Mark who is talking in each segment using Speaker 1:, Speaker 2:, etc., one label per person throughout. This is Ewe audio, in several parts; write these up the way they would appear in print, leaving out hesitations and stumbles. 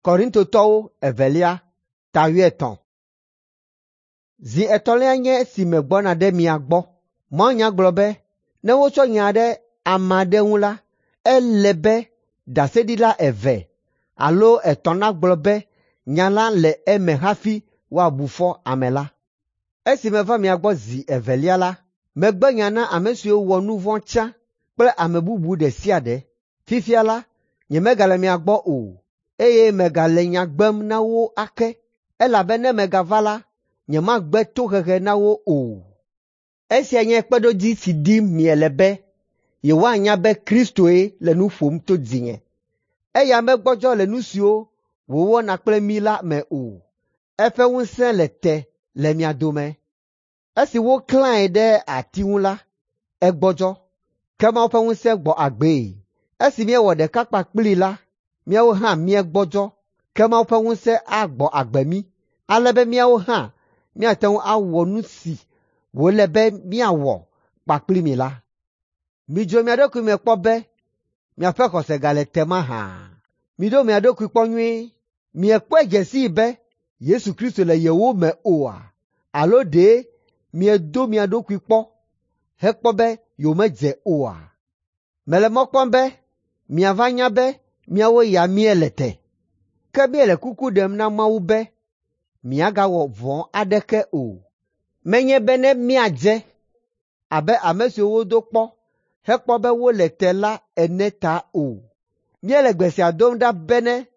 Speaker 1: Korintotɔwo evelia ta wuietɔ̃. Zi etɔ̃lia nye esi megbɔna ɖe mia gbɔ. Mawunya gblɔ be ne wotsɔ nya ɖe ame aɖe ŋu la, ele be ɖaseɖila eve alo etɔ̃ nagblɔ be nya la le eme hafi woabu fɔ ame la. Esi meva mia gbɔ zi evelia la, megbe nya na ame siwo wɔ nu vɔ̃ tsã kple ame bubu ɖe sia ɖe. Fifia la, nyemegale mia gbɔ o, eye megale nya gbem na wo ake, elabe ne megava la, nyemagbe tohehe na wo o. Esia nye kpeɖodzi si dim miele be yewoanya be Kristoe le nu ƒom to dzinye. Eya megbɔdzɔ le nu siwo wòwɔna kple mí la me o. Eƒe ŋusẽ le te le mia dome. Esi woklãe ɖe ati ŋu la, egbɔdzɔ, ke Mawu ƒe ŋusẽ gbɔ agbee. Esi míewɔ ɖeka kpakplii la, míawo hã míegbɔdzɔ, ke Mawu ƒe ŋusẽ agbɔ agbe mí, ale be míawo hã míate ŋu awɔ nu si wòle be míawɔ kpakpli mi la. Midzro mia ɖokui me kpɔ be miaƒe xɔse gale te mahã. Miɖo mia ɖokui kpɔ nyuie. Miekpɔe dze sii be Yesu Kristo le yewo me oa? Alo ɖe miedo mia ɖokui kpɔ hekpɔ be yewomedze oa? Mele mɔ kpɔm be miava nya be míawo ya míele te. Ke míele kuku ɖem na Mawu be miagawɔ vɔ̃ aɖeke o. Menye be ne míadze abe ame siwo wodo kpɔ hekpɔ be wole te la ene ta o. Míele gbe sia dom ɖa bene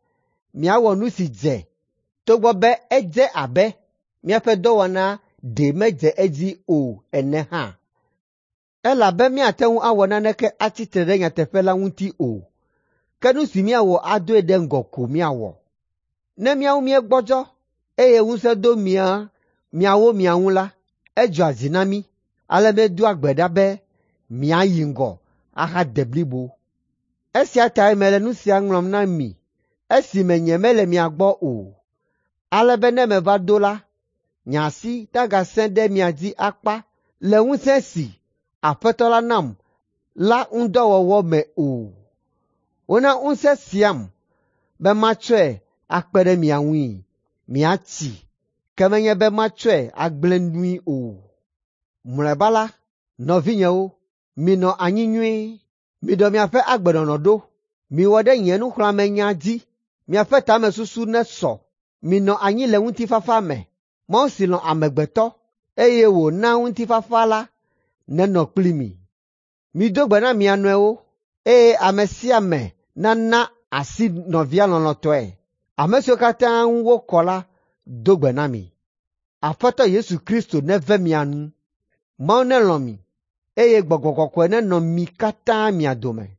Speaker 1: miawɔ nu si dze, togbɔ be edze abe míaƒe dɔwɔna ɖe medze edzi o ene hã. Elabe míate ŋu awɔ naneke atsi tre ɖe nyateƒe la ŋuti o, ke nu si míawɔ adoe ɖe ŋgɔ ko míawɔ. Ne míawo míegbɔdzɔ, eye ŋusẽ do mia miawo mia ŋu la, edzɔa dzi na mí, ale míedoa gbe ɖa be miayi ŋgɔ ahade blibo. Esia tae mele nu sia ŋlɔm na mi esime nyemele mia gbɔ o, ale be ne meva do la, nye asi nagasẽ ɖe mia dzi akpa le ŋusẽ si Aƒetɔ la nam la ŋudɔwɔwɔ me o. Wona ŋusẽ siam be matsɔe akpe ɖe mia ŋui miatsi, ke menye be matsɔe agblẽ nui o. Mlɔeba la, nɔvinyewo, minɔ anyi nyuie, miɖɔ miaƒe agbenɔnɔ ɖo, miwɔ ɖe nye nuxlɔ̃amenya dzi, miaƒe tamesusu nesɔ, minɔ anyi le ŋutifafa me. Mawu si lɔ̃ amegbetɔ, eye wòna ŋutifafa la nenɔ kpli mi. Mido gbe na mia nɔewo, eye ame sia ame nana asi nɔvia lɔlɔ̃tɔe. Ame siwo katã ŋu wokɔ la do gbe na mi. Aƒetɔ Yesu Kristo neve mia nu. Mawu nelɔ̃ mi, eye Gbɔgbɔ Kɔkɔe nenɔ mi katã mia dome.